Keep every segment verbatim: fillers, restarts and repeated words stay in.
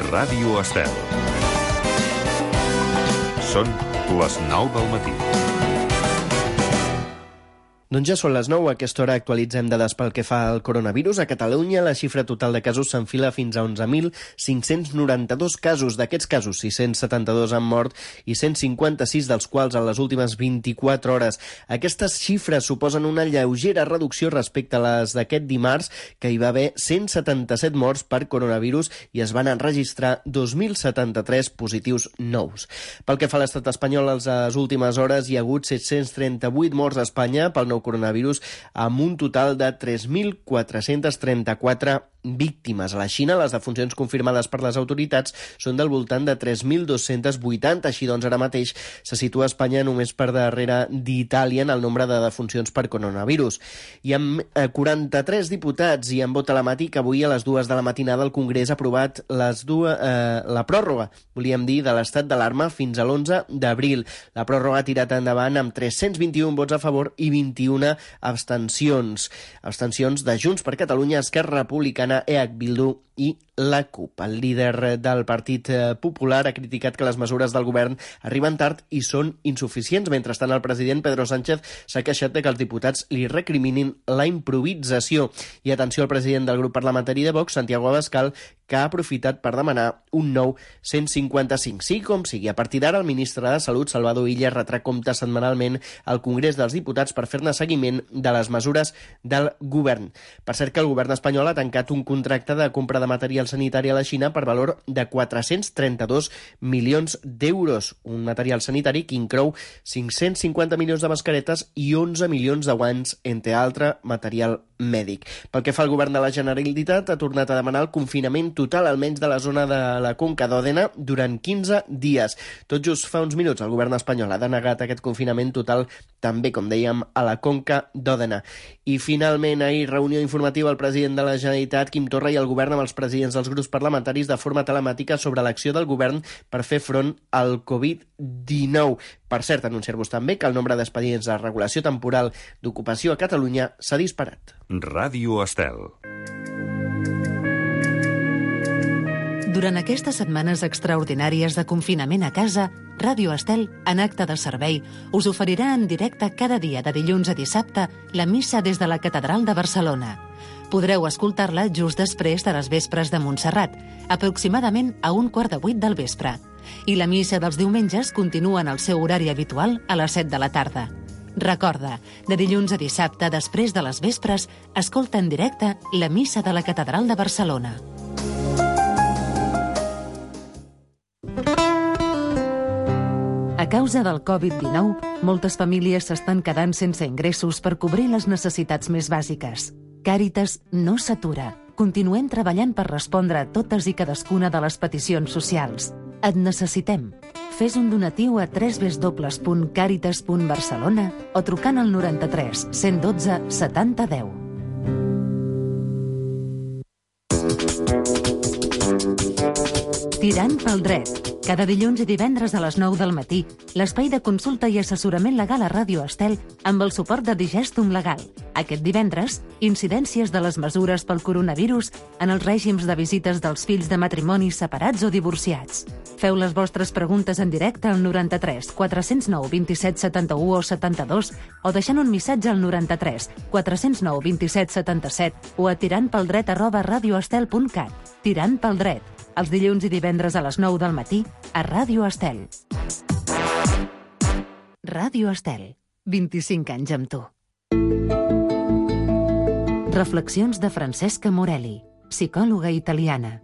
Ràdio Estel. Són les nou del matí. Doncs ja són les nou, a aquesta hora actualitzem dades pel que fa al coronavirus. A Catalunya la xifra total de casos s'enfila fins a onze mil cinc-cents noranta-dos casos. D'aquests casos, sis-cents setanta-dos han mort i cent cinquanta-sis dels quals en les últimes vint-i-quatre hores. Aquestes xifres suposen una lleugera reducció respecte a les d'aquest dimarts, que hi va haver cent setanta-set morts per coronavirus i es van enregistrar dos mil setanta-tres positius nous. Pel que fa a l'estat espanyol, a les últimes hores hi ha hagut set-cents trenta-vuit morts a Espanya pel nou coronavirus, amb un total de tres mil quatre-cents trenta-quatre víctimes. A la Xina, les defuncions confirmades per les autoritats són del voltant de tres mil dos-cents vuitanta. Així doncs, ara mateix se situa Espanya només per darrere d'Itàlia en el nombre de defuncions per coronavirus. I amb quaranta-tres diputats i amb vot telemàtic, avui a les dues de la matinada el Congrés ha aprovat les dues, eh, la pròrroga, volíem dir, de l'estat d'alarma fins a l'onze d'abril. La pròrroga ha tirat endavant amb tres-cents vint-i-un vots a favor i vint-i-una abstencions. Abstencions de Junts per Catalunya, Esquerra Republicana, E H Bildu i la CUP. El líder del Partit Popular ha criticat que les mesures del govern arriben tard i són insuficients. Mentrestant, el president Pedro Sánchez s'ha queixat de que els diputats li recriminin la improvisació. I atenció al president del grup parlamentari de Vox, Santiago Abascal, que ha aprofitat per demanar un nou cent cinquanta-cinc. Sí, com sigui, a partir d'ara el ministre de Salut, Salvador Illa, retrà compte setmanalment al Congrés dels Diputats per fer-ne seguiment de les mesures del govern. Per cert que el govern espanyol ha tancat un contracte de compra de material sanitari a la Xina per valor de quatre-cents trenta-dos milions d'euros. Un material sanitari que inclou cinc-cents cinquanta milions de mascaretes i onze milions de guants, entre altre material mèdic. Pel que fa al govern de la Generalitat, ha tornat a demanar el confinament total, almenys de la zona de la Conca d'Òdena, durant quinze dies. Tot just fa uns minuts el govern espanyol ha denegat aquest confinament total, també, com dèiem, a la Conca d'Òdena. I finalment, ahir, reunió informativa al president de la Generalitat, Quim Torra, i el govern amb els presidents dels grups parlamentaris de forma telemàtica sobre l'acció del govern per fer front al covid dinou. Per cert, anunciar-vos també que el nombre d'expedients de regulació temporal d'ocupació a Catalunya s'ha disparat. Ràdio Estel. Durant aquestes setmanes extraordinàries de confinament a casa, Ràdio Estel, en acte de servei, us oferirà en directe cada dia de dilluns a dissabte la missa des de la Catedral de Barcelona. Podreu escoltar-la just després de les vespres de Montserrat, aproximadament a un quart de vuit del vespre. I la missa dels diumenges continua en el seu horari habitual a les set de la tarda. Recorda, de dilluns a dissabte, després de les vespres, escolta en directe la missa de la Catedral de Barcelona. A causa del covid dinou, moltes famílies s'estan quedant sense ingressos per cobrir les necessitats més bàsiques. Càritas no s'atura. Continuem treballant per respondre a totes i cadascuna de les peticions socials. Et necessitem. Fes un donatiu a w w w punt càritas punt barcelona o trucant al noranta-tres cent dotze setanta deu. Tirant pel dret. Cada dilluns i divendres a les nou del matí, l'espai de consulta i assessorament legal a Ràdio Estel amb el suport de Digestum Legal. Aquest divendres, incidències de les mesures pel coronavirus en els règims de visites dels fills de matrimonis separats o divorciats. Feu les vostres preguntes en directe al noranta-tres quatre zero nou vint set setanta-u o setanta-dos o deixant un missatge al noranta-tres quatre zero nou vint set setanta-set o a tirantpeldret arroba radioestel punt cat. Tirant pel dret. Els dilluns i divendres a les nou del matí a Ràdio Estel. Ràdio Estel. vint-i-cinc anys amb tu. Reflexions de Francesca Morelli, psicòloga italiana.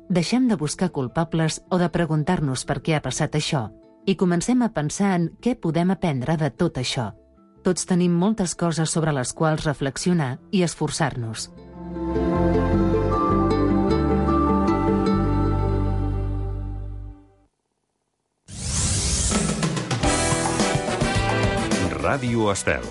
Deixem de buscar culpables o de preguntar-nos per què ha passat això i comencem a pensar en què podem aprendre de tot això. Tots tenim moltes coses sobre les quals reflexionar i esforçar-nos. Ràdio Estel.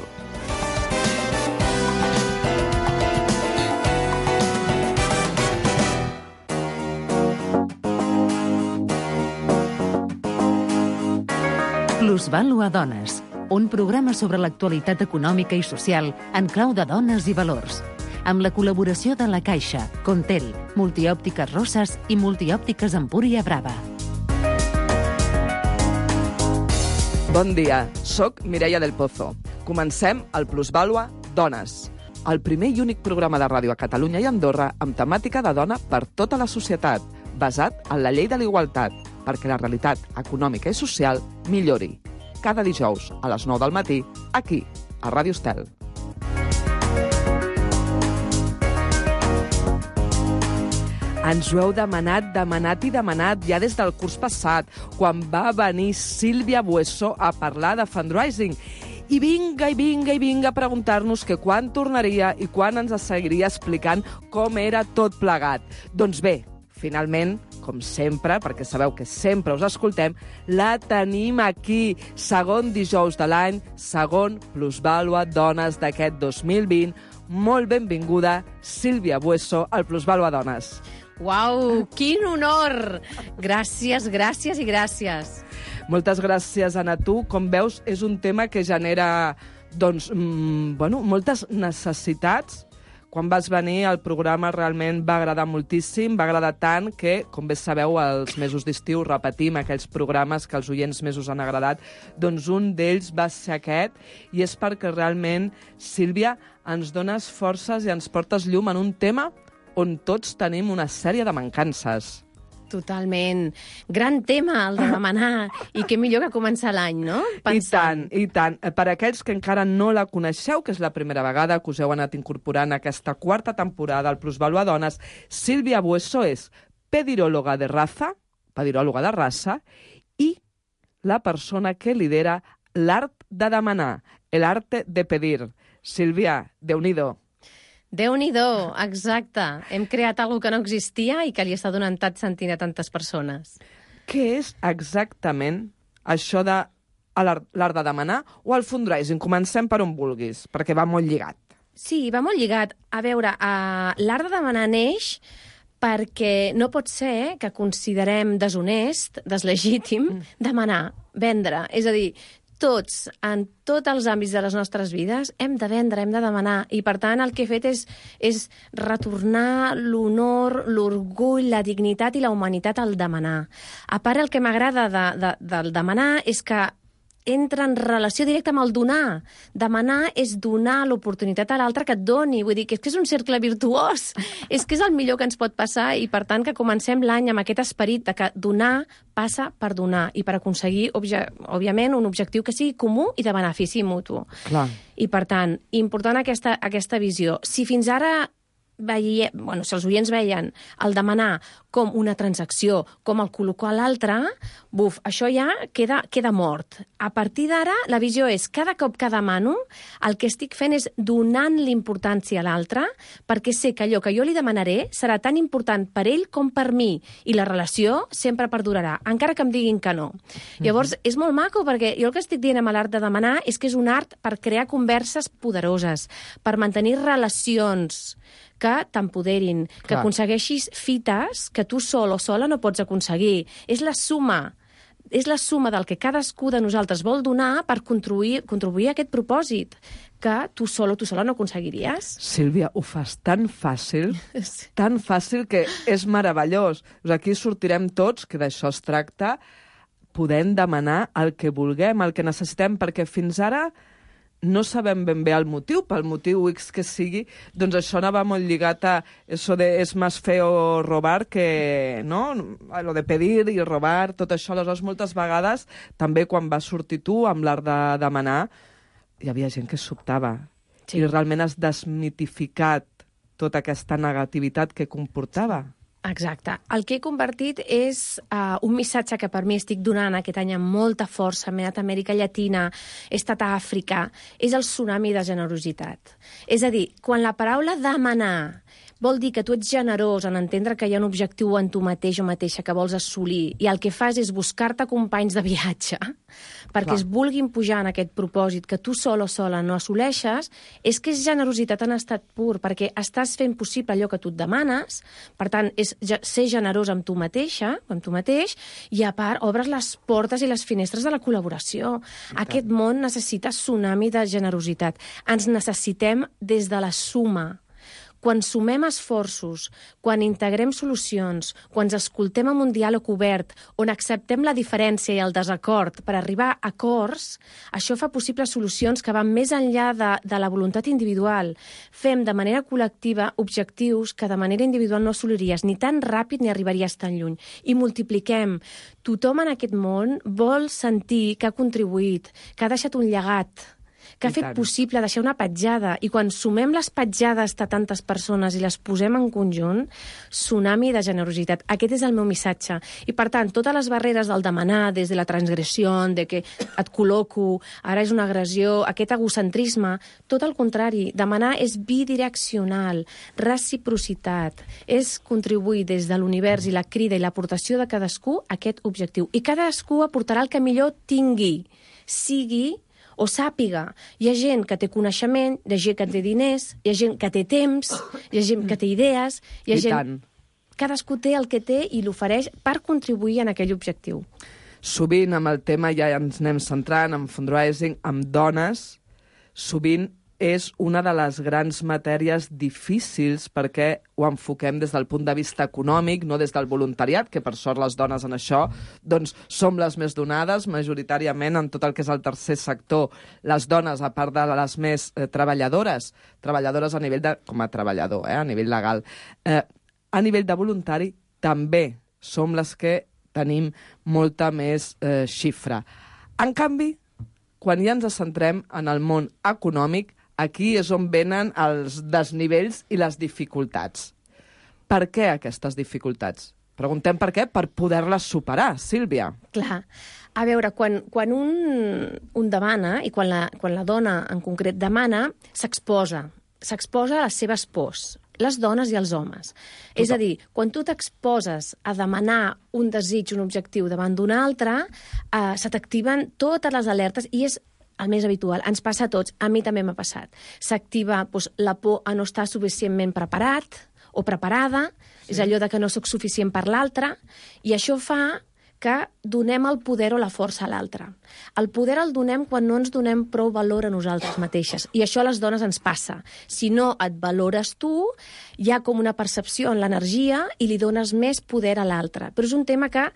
Plusvàlua Dones, un programa sobre l'actualitat econòmica i social en clau de dones i valors. amb la col·laboració de La Caixa, Contel, Multiòptiques Rosses i Multiòptiques Empúria Brava. Bon dia, soc Mireia del Pozo. Comencem el Plusvàlua Dones, el primer i únic programa de ràdio a Catalunya i Andorra amb temàtica de dona per tota la societat, basat en la llei de la igualtat, perquè la realitat econòmica i social millori. Cada dijous a les nou del matí, aquí, a Ràdio Estel. Ens ho heu demanat, demanat i demanat ja des del curs passat, quan va venir Sílvia Bueso a parlar de fundraising. I vinga, i vinga, i vinga a preguntar-nos que quan tornaria i quan ens seguiria explicant com era tot plegat. Doncs bé, finalment, com sempre, perquè sabeu que sempre us escoltem, la tenim aquí, segon dijous de l'any, segon Plusvàlua Dones d'aquest dos mil vint. Molt benvinguda, Sílvia Bueso, al Plusvàlua Dones. Uau, quin honor! Gràcies, gràcies i gràcies. Moltes gràcies, Anna. Tu, com veus, és un tema que genera doncs, mmm, bueno, moltes necessitats. Quan vas venir, el programa realment va agradar moltíssim, va agradar tant que, com bé sabeu, als mesos d'estiu repetim aquells programes que als oients més us han agradat. Doncs un d'ells va ser aquest, i és perquè realment, Sílvia, ens dones forces i ens portes llum en un tema on tots tenim una sèrie de mancances. Totalment. Gran tema, el de demanar. I què millor que començar l'any, no? Pensant. I tant, i tant. Per aquells que encara no la coneixeu, que és la primera vegada que us heu anat incorporant a aquesta quarta temporada al Plusvàlua Dones, Sílvia Bueso és pediròloga de raza, pediròloga de raça, i la persona que lidera l'art de demanar, el arte de pedir. Sílvia, Déu-n'hi-do. Déu-n'hi-do, exacte. Hem creat alguna que no existia i que li està donant tant sentit a tantes persones. Què és exactament això de l'art de demanar o el fundraising? Comencem per on vulguis, perquè va molt lligat. Sí, va molt lligat. A veure, uh, l'art de demanar neix perquè no pot ser que considerem deshonest, deslegítim, mm. demanar, vendre. És a dir, tots, en tots els àmbits de les nostres vides, hem de vendre, hem de demanar. I, per tant, el que he fet és, és retornar l'honor, l'orgull, la dignitat i la humanitat al demanar. A part, el que m'agrada de, de, del demanar és que entra en relació directa amb el donar. Demanar és donar l'oportunitat a l'altre que et doni. Vull dir que és que és un cercle virtuós. És que és el millor que ens pot passar i, per tant, que comencem l'any amb aquest esperit de que donar passa per donar i per aconseguir, òbviament, un objectiu que sigui comú i de benefici mutu. Clar. I, per tant, important aquesta, aquesta visió. Si fins ara veia, bueno, si els oients veien el demanar com una transacció, com el col·locar a l'altre, buf, això ja queda, queda mort. A partir d'ara, la visió és cada cop que demano, el que estic fent és donant l'importància a l'altre, perquè sé que allò que jo li demanaré serà tan important per ell com per mi, i la relació sempre perdurarà, encara que em diguin que no. Mm-hmm. Llavors, és molt maco, perquè jo el que estic dient amb l'art de demanar és que és un art per crear converses poderoses, per mantenir relacions que t'empoderin, que Clar. aconsegueixis fites que tu sol o sola no pots aconseguir. És la suma, és la suma del que cadascú de nosaltres vol donar per contribuir, contribuir a aquest propòsit que tu sol o tu sola no aconseguiries. Sílvia, ho fas tan fàcil, tan fàcil que és meravellós. Aquí sortirem tots, que d'això es tracta, podem demanar el que vulguem, el que necessitem, perquè fins ara no sabem ben bé el motiu, pel motiu X que sigui, doncs això anava molt lligat a eso de és més feo robar que, no? Lo de pedir i robar, tot això. Aleshores, moltes vegades, també quan vas sortir tu amb l'art de demanar, hi havia gent que sobtava. Sí. I realment has desmitificat tota aquesta negativitat que comportava. Exacte. El que he convertit és uh, un missatge que per mi estic donant aquest any amb molta força. M'he anat a Amèrica Llatina, he estat a Àfrica. És el tsunami de generositat. És a dir, quan la paraula demanar vol dir que tu ets generós en entendre que hi ha un objectiu en tu mateix o mateixa que vols assolir i el que fas és buscar-te companys de viatge perquè Clar. es vulguin pujar en aquest propòsit que tu sol o sola no assoleixes, és que és generositat en estat pur, perquè estàs fent possible allò que tu et demanes, per tant, és ser generós amb tu mateixa, amb tu mateix, i a part obres les portes i les finestres de la col·laboració. Aquest món necessita tsunami de generositat. Ens necessitem des de la suma. Quan sumem esforços, quan integrem solucions, quan ens escoltem amb un diàleg obert, on acceptem la diferència i el desacord per arribar a acords, això fa possibles solucions que van més enllà de, de la voluntat individual. Fem de manera col·lectiva objectius que de manera individual no assoliries ni tan ràpid ni arribaries tan lluny. I multipliquem. Tothom en aquest món vol sentir que ha contribuït, que ha deixat un llegat, que ha fet possible deixar una petjada. I quan sumem les petjades de tantes persones i les posem en conjunt, tsunami de generositat. Aquest és el meu missatge. I, per tant, totes les barreres del demanar, des de la transgressió, de que et col·loco, ara és una agressió, aquest egocentrisme, tot el contrari. Demanar és bidireccional, reciprocitat, és contribuir des de l'univers i la crida i l'aportació de cadascú a aquest objectiu. I cadascú aportarà el que millor tingui, sigui o sàpiga. Hi ha gent que té coneixement, hi ha gent que té diners, hi ha gent que té temps, hi ha gent que té idees, hi ha I gent... tant. Cadascú té el que té i l'ofereix per contribuir en aquell objectiu. Sovint amb el tema, ja ens anem centrant, en fundraising, amb dones, sovint és una de les grans matèries difícils perquè ho enfoquem des del punt de vista econòmic, no des del voluntariat, que per sort les dones en això doncs, som les més donades, majoritàriament en tot el que és el tercer sector. Les dones, a part de les més eh, treballadores, treballadores a nivell de... com a treballador, eh, a nivell legal, eh, a nivell de voluntari també som les que tenim molta més eh, xifra. En canvi, quan ja ens centrem en el món econòmic, aquí és on venen els desnivells i les dificultats. Per què aquestes dificultats? Preguntem per què, per poder-les superar, Sílvia. Clar. A veure, quan, quan un, un demana, i quan la, quan la dona en concret demana, s'exposa. S'exposa a les seves pors, les dones i els homes. Total. És a dir, quan tu t'exposes a demanar un desig, un objectiu davant d'un altre, eh, se t'activen totes les alertes i és el més habitual. Ens passa a tots. A mi també m'ha passat. S'activa doncs, la por a no estar suficientment preparat o preparada, sí. És allò de que no sóc suficient per l'altre, i això fa que donem el poder o la força a l'altre. El poder el donem quan no ens donem prou valor a nosaltres mateixes. I això a les dones ens passa. Si no et valores tu, hi ha com una percepció en l'energia i li dones més poder a l'altre. Però és un tema que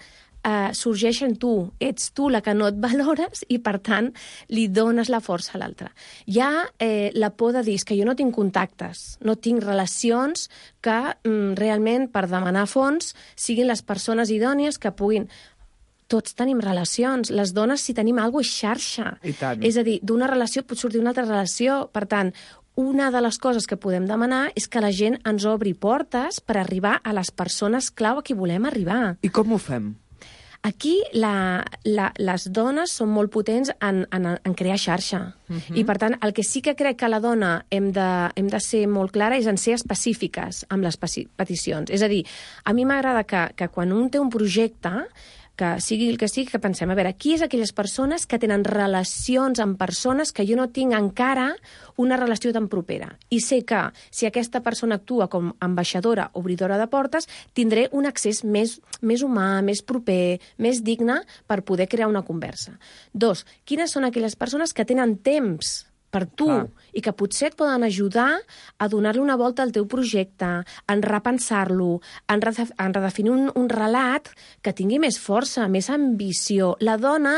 Uh, sorgeix en tu, ets tu la que no et valores i, per tant, li dones la força a l'altre. Hi ha eh, la por de dir que jo no tinc contactes, no tinc relacions que mm, realment, per demanar fons, siguin les persones idònies que puguin... Tots tenim relacions. Les dones, si tenim alguna cosa, és xarxa. I tant. És a dir, d'una relació pot sortir una altra relació. Per tant, una de les coses que podem demanar és que la gent ens obri portes per arribar a les persones clau a qui volem arribar. I com ho fem? Aquí la, la, les dones són molt potents en, en, en crear xarxa. Uh-huh. I, per tant, el que sí que crec que la dona hem de, hem de ser molt clara és en ser específiques amb les peticions. És a dir, a mi m'agrada que, que quan un té un projecte, que sigui el que sigui, que pensem, a veure, qui és aquelles persones que tenen relacions amb persones que jo no tinc encara una relació tan propera. I sé que si aquesta persona actua com ambaixadora, obridora de portes, tindré un accés més, més humà, més proper, més digne per poder crear una conversa. Dos, quines són aquelles persones que tenen temps per tu, ah. i que potser et poden ajudar a donar-li una volta al teu projecte, en repensar-lo, en, redef en redefinir un, un relat que tingui més força, més ambició. La dona,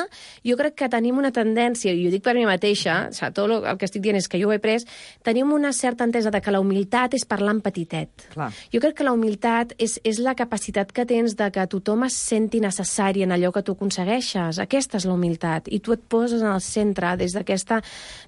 jo crec que tenim una tendència, i ho dic per mi mateixa, o sigui, tot el que estic dient és que jo ho he pres, tenim una certa entesa de que la humilitat és parlar en petitet. Clar. Jo crec que la humilitat és, és la capacitat que tens de que tothom es senti necessari en allò que tu aconsegueixes. Aquesta és la humilitat, i tu et poses en el centre des d'aquesta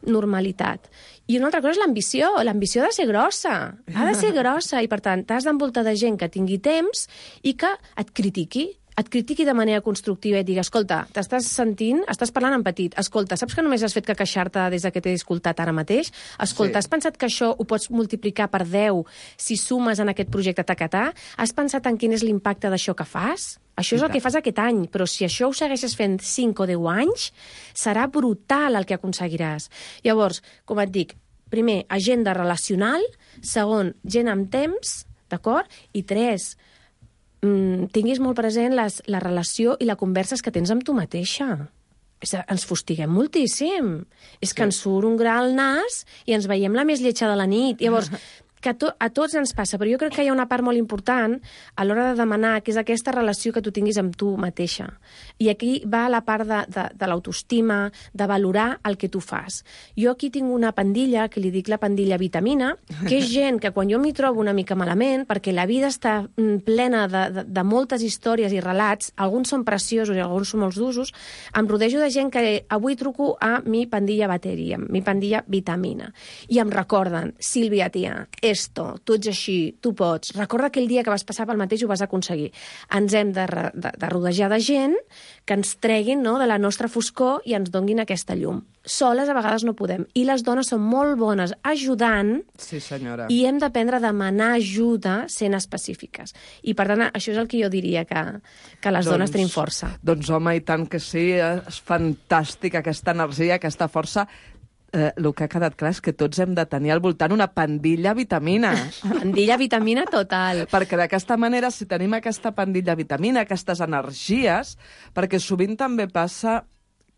normalitat. I una altra cosa és l'ambició. L'ambició ha de ser grossa. Ha de ser grossa. I, per tant, t'has d'envoltar de gent que tingui temps i que et critiqui. Et critiqui de manera constructiva i et digui, escolta, t'estàs sentint, estàs parlant en petit. Escolta, saps que només has fet que queixar-te des que t'he escoltat ara mateix? Escolta, sí. Has pensat que això ho pots multiplicar per deu si sumes en aquest projecte tacatà? Has pensat en quin és l'impacte d'això que fas? Això és el que fas aquest any, però si això ho segueixes fent cinc o deu anys, serà brutal el que aconseguiràs. Llavors, com et dic, primer, agenda relacional, segon, gent amb temps, d'acord? I tres, mm, tinguis molt present les, la relació i la converses que tens amb tu mateixa. És, ens fustiguem moltíssim. És sí. Que ens surt un gra al nas i ens veiem la més lletja de la nit. Llavors, que a, to, a tots ens passa, però jo crec que hi ha una part molt important a l'hora de demanar, que és aquesta relació que tu tinguis amb tu mateixa. I aquí va la part de, de, de l'autoestima, de valorar el que tu fas. Jo aquí tinc una pandilla, que li dic la pandilla vitamina, que és gent que quan jo m'hi trobo una mica malament, perquè la vida està plena de, de, de moltes històries i relats, alguns són preciosos i alguns són molt d'usos, em rodejo de gent que avui truco a mi pandilla bateria, mi pandilla vitamina, i em recorden, Sílvia, tia, esto, tu ets així, tu pots, recorda aquell dia que vas passar pel mateix i ho vas aconseguir. Ens hem de, de, de rodejar de gent que ens treguin, no, de la nostra foscor i ens donguin aquesta llum. Soles a vegades no podem. I les dones són molt bones ajudant, sí, senyora, i hem d'aprendre a demanar ajuda sent específiques. I, per tant, això és el que jo diria, que, que les doncs, dones tenim força. Doncs, home, i tant que sí, és fantàstica aquesta energia, aquesta força. Eh, el que ha quedat clar és que tots hem de tenir al voltant una pandilla vitamina. Pandilla vitamina total. Perquè d'aquesta manera, si tenim aquesta pandilla vitamina, aquestes energies, perquè sovint també passa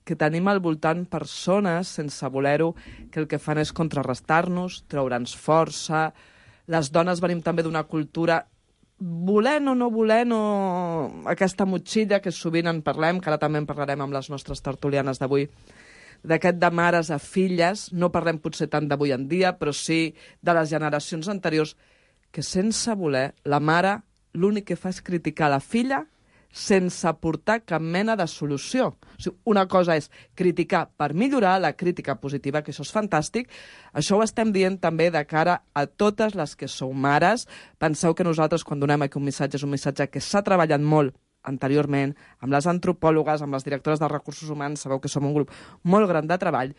que tenim al voltant persones, sense voler-ho, que el que fan és contrarrestar-nos, treure'ns força. Les dones venim també d'una cultura, volent o no volent, o aquesta motxilla que sovint en parlem, que ara també en parlarem amb les nostres tertulianes d'avui, d'aquest de mares a filles, no parlem potser tant d'avui en dia, però sí de les generacions anteriors, que sense voler, la mare l'únic que fa és criticar la filla sense aportar cap mena de solució. O sigui, una cosa és criticar per millorar, la crítica positiva, que això és fantàstic. Això ho estem dient també de cara a totes les que sou mares. Penseu que nosaltres, quan donem aquí un missatge, és un missatge que s'ha treballat molt anteriorment, amb les antropòlogues, amb les directores de recursos humans, sabeu que som un grup molt gran de treball,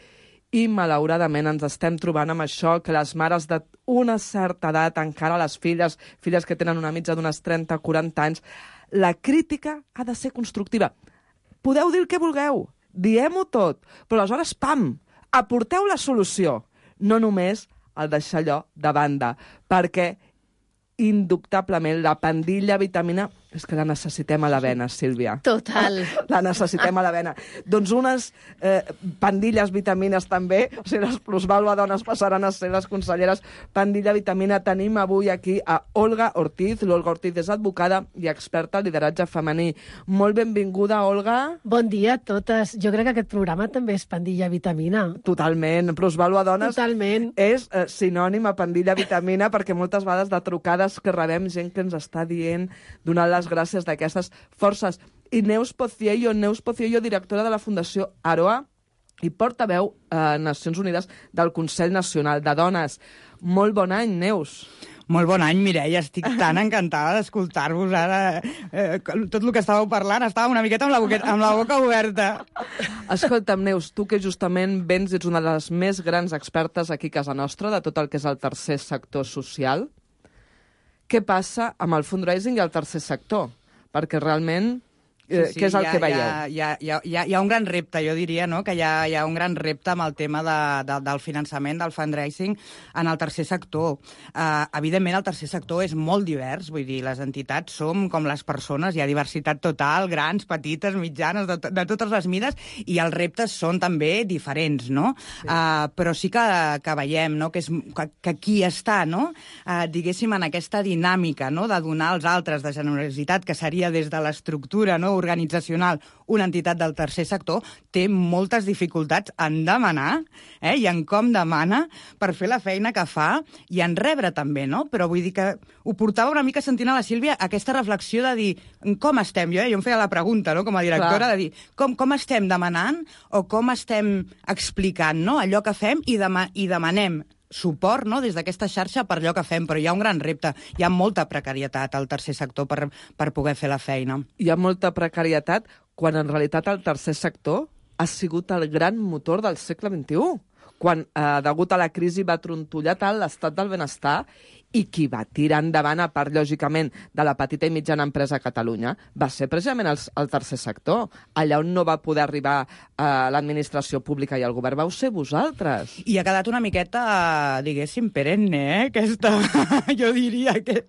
i malauradament ens estem trobant amb això, que les mares d'una certa edat, encara les filles, filles que tenen una mitja d'unes trenta a quaranta anys, la crítica ha de ser constructiva. Podeu dir el que vulgueu, diem-ho tot, però aleshores, pam, aporteu la solució, no només el deixar allò de banda, perquè indubtablement la pandilla vitamina és que la necessitem a la vena, Sílvia. Total. La necessitem a la vena. Doncs unes eh, pandilles vitamines també, o sigui, les plusvàlua dones passaran a ser les conselleres pandilla vitamina. Tenim avui aquí a Olga Ortiz. L'Olga Ortiz és advocada i experta en lideratge femení. Molt benvinguda, Olga. Bon dia a totes. Jo crec que aquest programa també és pandilla vitamina. Totalment. Plusvàlua dones Totalment. és eh, sinònim a pandilla vitamina, perquè moltes vegades de trucades que rebem gent que ens està dient, donant les gràcies d'aquestes forces. I Neus Pociello, Neus Pociello, directora de la Fundació Aroa i portaveu a Nacions Unides del Consell Nacional de Dones. Molt bon any, Neus. Molt bon any, Mireia. Estic tan encantada d'escoltar-vos ara. Eh, tot el que estàveu parlant, estava una miqueta amb la, boqueta, amb la boca oberta. Escolta'm, Neus, tu que justament vens, ets una de les més grans expertes aquí a casa nostra de tot el que és el tercer sector social. Què passa amb el fundraising i el tercer sector? Perquè realment, eh, sí, sí, què és el ha, que veieu? Hi ha, hi, ha, hi, ha, hi ha un gran repte, jo diria, no? Que hi ha, hi ha un gran repte amb el tema de, de, del finançament, del fundraising en el tercer sector. Uh, evidentment, el tercer sector és molt divers, vull dir, les entitats som com les persones, hi ha diversitat total, grans, petites, mitjanes, de, de totes les mides, i els reptes són també diferents, no? Sí. Uh, però sí que, que veiem, no? Que, és, que, que qui està, no? Uh, diguéssim, en aquesta dinàmica, no? De donar als altres, de generositat, que seria des de l'estructura, no? Organitzacional, una entitat del tercer sector, té moltes dificultats en demanar, eh? I en com demana per fer la feina que fa i en rebre també, no? Però vull dir que ho portava una mica sentint a la Sílvia aquesta reflexió de dir com estem, jo, eh? jo em feia la pregunta, no? Com a directora, Clar. de dir com, com estem demanant o com estem explicant, no? Allò que fem i, dema i demanem suport, no?, des d'aquesta xarxa per allò que fem, però hi ha un gran repte. Hi ha molta precarietat al tercer sector per, per poder fer la feina. Hi ha molta precarietat quan en realitat el tercer sector ha sigut el gran motor del segle vint-i-u, quan, eh, degut a la crisi, va trontollar tant l'estat del benestar i qui va tirar endavant, a part, lògicament, de la petita i mitjana empresa a Catalunya, va ser precisament el, el tercer sector. Allà on no va poder arribar eh, l'administració pública i el govern vau ser vosaltres. I ha quedat una miqueta, diguéssim, perenne, eh? Aquesta, jo diria, que,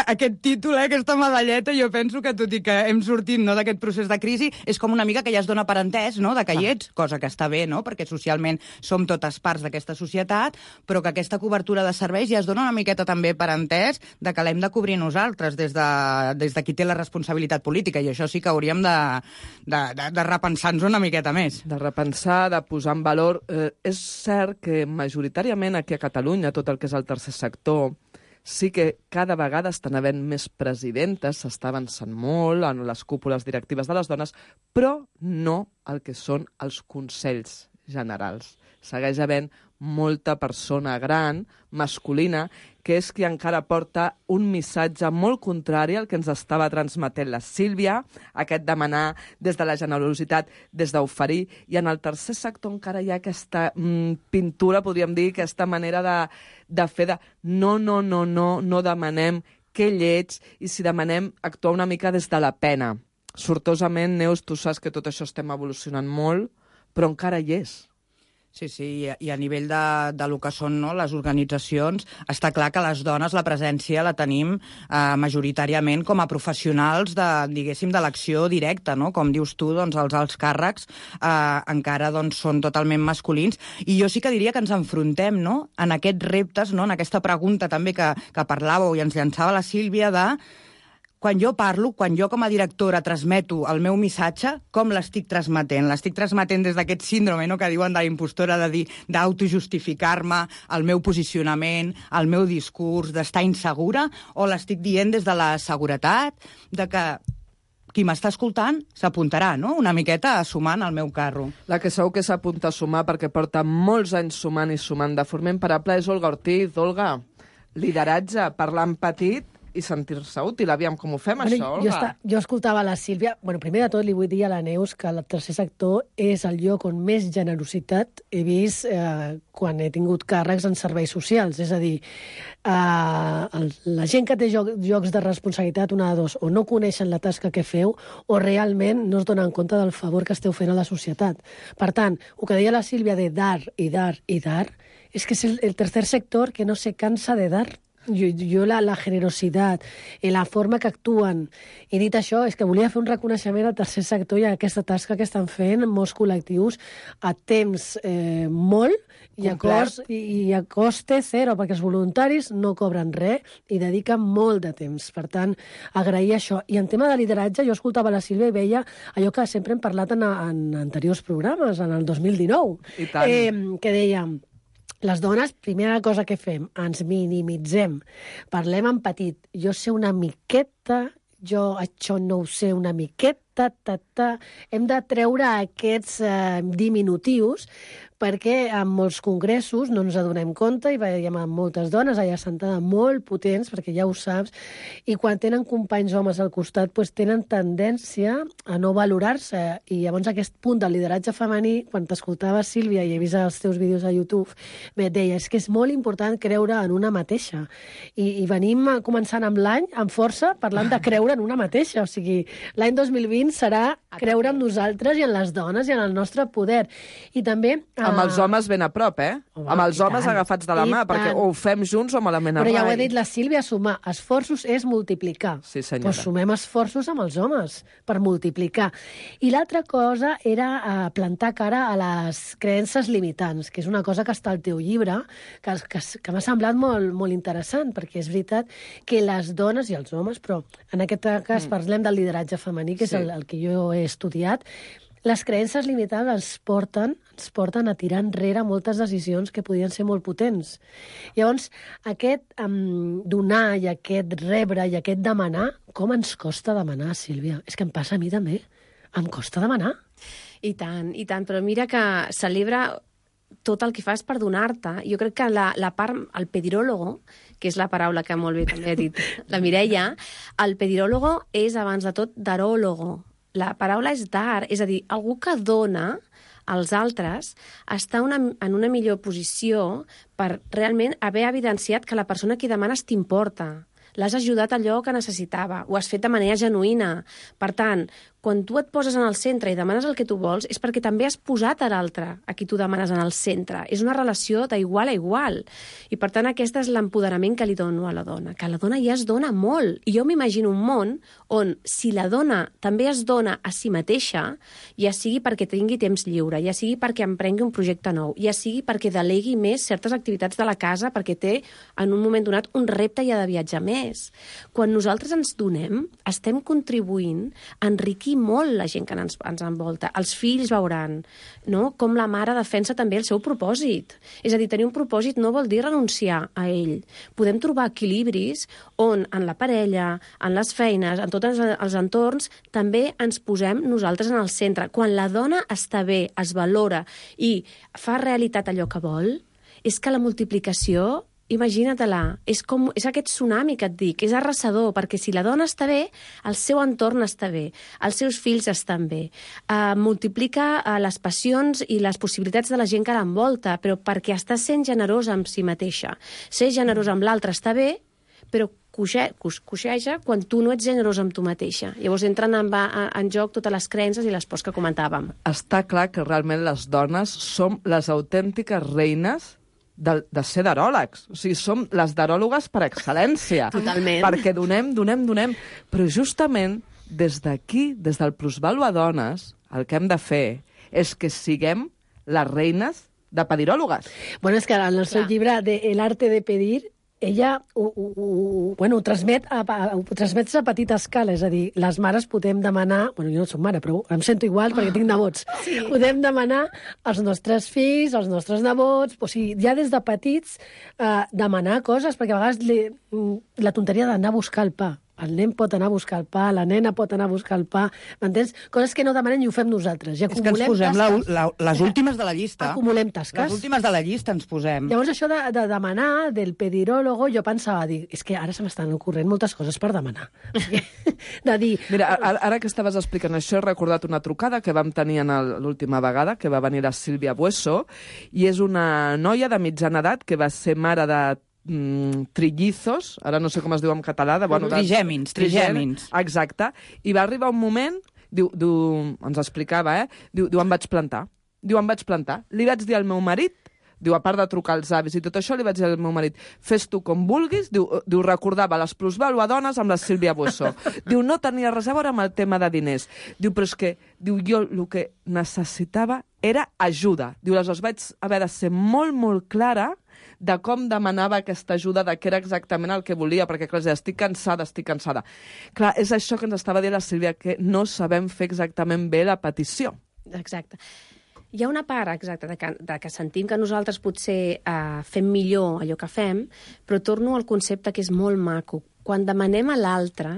aquest títol, eh? Aquesta medalleta, jo penso que tot i que hem sortit, no, d'aquest procés de crisi, és com una mica que ja es dona per entès, no?, de que hi ets, cosa que està bé, no?, perquè socialment som totes parts d'aquesta societat, però que aquesta cobertura de serveis ja es dona una miqueta també també per entès de que l'hem de cobrir nosaltres des de, des de qui té la responsabilitat política, i això sí que hauríem de, de, de, de repensar-nos una miqueta més. De repensar, de posar en valor. Eh, és cert que majoritàriament aquí a Catalunya, tot el que és el tercer sector, sí que cada vegada estan havent més presidentes, s'està avançant molt en les cúpules directives de les dones, però no el que són els consells generals. Segueix havent molta persona gran, masculina, que és qui encara porta un missatge molt contrari al que ens estava transmetent la Sílvia, aquest demanar des de la generositat, des d'oferir, i en el tercer sector encara hi ha aquesta mm, pintura, podríem dir, aquesta manera de, de fer de no, no, no, no, no demanem que lleig, i si demanem actuar una mica des de la pena. Sortosament, Neus, tu saps que tot això estem evolucionant molt, però encara hi és. Sí, sí, i a nivell de, de lo que són, no, les organitzacions, està clar que les dones la presència la tenim eh, majoritàriament com a professionals de, diguéssim, de l'acció directa, no? Com dius tu, doncs els alts càrrecs eh, encara doncs, són totalment masculins, i jo sí que diria que ens enfrontem, no?, en aquests reptes, no?, en aquesta pregunta també que, que parlàveu i ens llançava la Sílvia de quan jo parlo, quan jo com a directora transmeto el meu missatge, com l'estic transmetent? L'estic transmetent des d'aquest síndrome, no?, que diuen de la impostora, de dir, d'autojustificar-me, el meu posicionament, el meu discurs, d'estar insegura, o l'estic dient des de la seguretat, de que qui m'està escoltant s'apuntarà, no?, una miqueta a sumar en el meu carro. La que segur que s'apunta a sumar, perquè porta molts anys sumant i sumant de forma imparable, és Olga Ortiz. Olga, lideratge, parlant petit i sentir-se útil. Aviam, com ho fem, bueno, això, Olga? Jo, està, jo escoltava la Sílvia. Bueno, primer de tot li vull dir a la Neus que el tercer sector és el lloc on més generositat he vist eh, quan he tingut càrrecs en serveis socials. És a dir, eh, el, la gent que té joc, llocs de responsabilitat, una de dos, o no coneixen la tasca que feu, o realment no es donen compte del favor que esteu fent a la societat. Per tant, el que deia la Sílvia de dar i dar i dar, és que és el, el tercer sector que no se cansa de dar. Jo, jo la, la generositat i la forma que actuen. I dit això, és que volia fer un reconeixement al tercer sector i a aquesta tasca que estan fent molts col·lectius a temps eh, molt i a, cost, i, i a coste zero, perquè els voluntaris no cobren res i dediquen molt de temps. Per tant, agrair això. I en tema de lideratge, jo escoltava la Sílvia i veia allò que sempre hem parlat en, en anteriors programes, en el dos mil dinou, I tant. Eh, que dèiem, les dones, primera cosa que fem, ens minimitzem, parlem en petit. Jo sé una miqueta, jo això no ho sé una miqueta, ta, ta. Hem de treure aquests eh, diminutius perquè en molts congressos no ens adonem compte i veiem amb moltes dones allà sentades molt potents, perquè ja ho saps, i quan tenen companys homes al costat doncs tenen tendència a no valorar-se. I llavors aquest punt del lideratge femení, quan t'escoltava, Sílvia, i he vist els teus vídeos a YouTube, et deia, és que és molt important creure en una mateixa. I, i venim començant amb l'any, amb força, parlant de creure en una mateixa. O sigui, l'any dos mil vint serà creure en nosaltres i en les dones i en el nostre poder. I també... Amb els homes ben a prop, eh? Home, amb els homes tant, agafats de la mà, perquè o ho fem junts o malament a Però ja ho rai. ha dit la Sílvia, sumar esforços és multiplicar. Sí, senyora. Doncs sumem esforços amb els homes per multiplicar. I l'altra cosa era eh, plantar cara a les creences limitants, que és una cosa que està al teu llibre, que, que, que m'ha semblat molt, molt interessant, perquè és veritat que les dones i els homes, però en aquest cas mm. parlem del lideratge femení, que és Sí. el, el que jo he estudiat, les creences limitants ens porten, ens porten a tirar enrere moltes decisions que podien ser molt potents. Llavors, aquest um, donar i aquest rebre i aquest demanar, com ens costa demanar, Sílvia? És que em passa a mi també. Em costa demanar. I tant, i tant, però mira que celebra tot el que fas per donar-te. Jo crec que la, la part, el pediròlogo, que és la paraula que molt bé també ha dit la Mireia, el pediròlogo és, abans de tot, daròlogo. La paraula és dar, és a dir, algú que dona als altres està una, en una millor posició per realment haver evidenciat que la persona que demanes t'importa. l'has ajudat allò que necessitava, ho has fet de manera genuïna. Per tant, quan tu et poses en el centre i demanes el que tu vols, és perquè també has posat a l'altre a qui tu demanes en el centre. És una relació d'igual a igual. I, per tant, aquest és l'empoderament que li dono a la dona, que la dona ja es dona molt. I jo m'imagino un món on, si la dona també es dona a si mateixa, ja sigui perquè tingui temps lliure, ja sigui perquè emprengui un projecte nou, ja sigui perquè delegui més certes activitats de la casa, perquè té, en un moment donat, un repte i ha de viatjar més. Quan nosaltres ens donem, estem contribuint a enriquir molt la gent que ens, ens envolta. Els fills veuran, no?, com la mare defensa també el seu propòsit. És a dir, tenir un propòsit no vol dir renunciar a ell. Podem trobar equilibris on en la parella, en les feines, en tots els entorns, també ens posem nosaltres en el centre. Quan la dona està bé, es valora i fa realitat allò que vol, és que la multiplicació, imagina-te-la, és, com, és aquest tsunami que et dic, és arrasador, perquè si la dona està bé, el seu entorn està bé, els seus fills estan bé, uh, multiplica uh, les passions i les possibilitats de la gent que l'envolta, però perquè està sent generosa amb si mateixa. Ser generosa amb l'altre està bé, però coixe, coixeja quan tu no ets generosa amb tu mateixa. Llavors entren en, en joc totes les creences i les pors que comentàvem. Està clar que realment les dones som les autèntiques reines de, de ser daròlegs. O sigui, som les daròlogues per excel·lència. Totalment. Perquè donem, donem, donem. Però justament des d'aquí, des del Plusvalua a Dones, el que hem de fer és que siguem les reines de pediròlogues. Bueno, és que en el seu Clar. llibre de El arte de pedir, ella ho, ho, ho, bueno, ho, transmet a, ho transmet a petita escala, és a dir, les mares podem demanar, bueno, jo no soc mare, però em sento igual perquè tinc nebots, sí. Podem demanar als nostres fills, als nostres nebots, o sigui, ja des de petits eh, demanar coses, perquè a vegades li, la tonteria d'anar a buscar el pa. El nen pot anar a buscar el pa, la nena pot anar a buscar el pa, m'entens? Coses que no demanem i ho fem nosaltres. I és que ens posem la, la, les últimes de la llista. Acumulem tasques. Les últimes de la llista ens posem. Llavors, això de, de demanar, del pediròlogo, jo pensava, dir, és que ara se m'estan ocorrent moltes coses per demanar. De dir... Mira, ara, ara que estaves explicant això, he recordat una trucada que vam tenir l'última vegada, que va venir la Sílvia Bueso, i és una noia de mitjana edat que va ser mare de Mm, trillizos, ara no sé com es diu en català. De, bueno, trigèmins, trigèmins. Exacte. I va arribar un moment, diu, diu, ens explicava, eh? Diu, diu, em vaig plantar. Diu, em vaig plantar. Li vaig dir al meu marit, diu, a part de trucar als avis i tot això, li vaig dir al meu marit, fes tu com vulguis, diu, diu recordava les Plusvalua Dones amb la Sílvia Bueso. Diu, no tenia res a veure amb el tema de diners. Diu, però és que, diu, jo el que necessitava era ajuda. Diu, aleshores vaig haver de ser molt, molt clara de com demanava aquesta ajuda, de què era exactament el que volia, perquè, clar, estic cansada, estic cansada. Clar, és això que ens estava dient la Sílvia, que no sabem fer exactament bé la petició. Exacte. Hi ha una part, exacta, de que, de que sentim que nosaltres potser eh, fem millor allò que fem, però torno al concepte que és molt maco. Quan demanem a l'altre,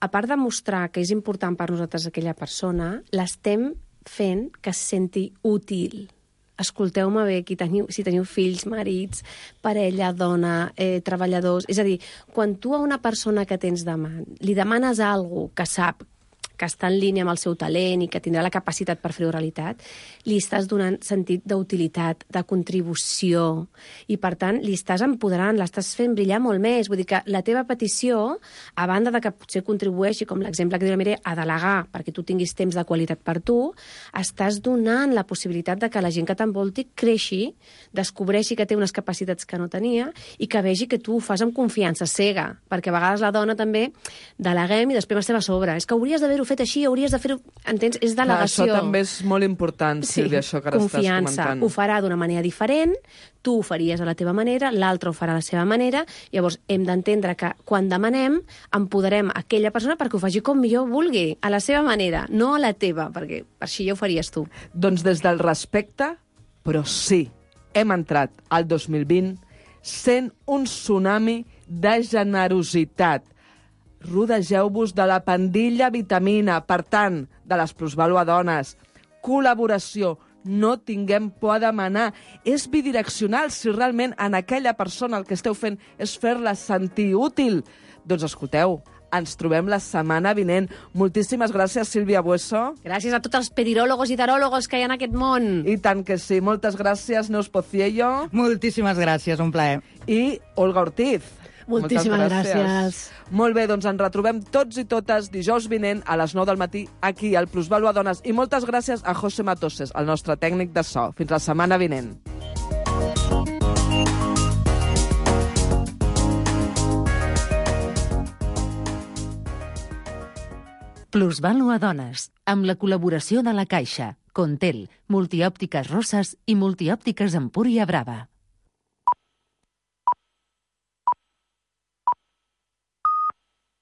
a part de mostrar que és important per nosaltres aquella persona, l'estem fent que es senti útil. Escolteu-me bé, qui teniu, si teniu fills, marits, parella, dona, eh, treballadors... És a dir, quan tu a una persona que tens davant li demanes alguna que sap que està en línia amb el seu talent i que tindrà la capacitat per fer-ho realitat, li estàs donant sentit d'utilitat, de contribució, i per tant li estàs empoderant, l'estàs fent brillar molt més. Vull dir que la teva petició, a banda de que potser contribueixi, com l'exemple que diu la Mireia, a delegar perquè tu tinguis temps de qualitat per tu, estàs donant la possibilitat de que la gent que t'envolti creixi, descobreixi que té unes capacitats que no tenia i que vegi que tu ho fas amb confiança cega, perquè a vegades la dona també deleguem i després estem a sobre. És que hauries d'haver-ho fet així, hauries de fer-ho... Entens? És delegació. Clar, això també és molt important, Sílvia, sí, això que ara confiança. Estàs comentant. Ho farà d'una manera diferent, tu ho faries a la teva manera, l'altre ho farà a la seva manera, llavors hem d'entendre que quan demanem empoderem aquella persona perquè ho faci com millor vulgui, a la seva manera, no a la teva, perquè així ja ho faries tu. Doncs des del respecte, però sí, hem entrat al dos mil vint sent un tsunami de generositat. Rodegeu-vos de la pandilla vitamina, per tant, de les Plusvalua Dones. Col·laboració, no tinguem por a demanar. És bidireccional si realment en aquella persona el que esteu fent és fer-la sentir útil. Doncs escolteu, ens trobem la setmana vinent. Moltíssimes gràcies, Sílvia Bueso. Gràcies a tots els pediròlogos i taròlogos que hi ha en aquest món. I tant que sí. Moltes gràcies, Neus Pociello. Moltíssimes gràcies, un plaer. I Olga Ortiz. Moltíssimes Moltes gràcies. Molt bé, doncs ens retrobem tots i totes dijous vinent a les nou del matí aquí al Plusvalua Dones. I moltes gràcies a José Matoses, el nostre tècnic de so. Fins la setmana vinent. Plusvalua Dones, amb la col·laboració de la Caixa, Contel, Multiòptiques Rosses i Multiòptiques Empúria Brava.